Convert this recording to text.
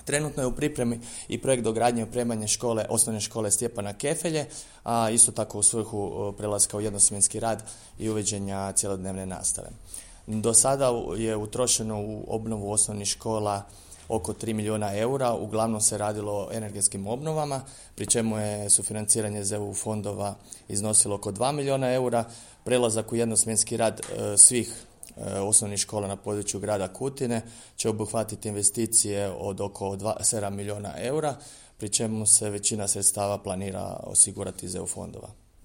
Trenutno je u pripremi i projekt dogradnje i opremanja osnovne škole Stjepana Kefelje, a isto tako u svrhu prelaska u jednosmjenski rad i uvođenja cjelodnevne nastave. Do sada je utrošeno u obnovu osnovnih škola oko 3 milijuna eura, uglavnom se radilo o energetskim obnovama, pri čemu je sufinanciranje iz EU fondova iznosilo oko 2 milijuna eura, prelazak u jednosmjenski rad svih osnovnih škola na području grada Kutine će obuhvatiti investicije od oko 7 milijuna eura, pri čemu se većina sredstava planira osigurati iz EU fondova.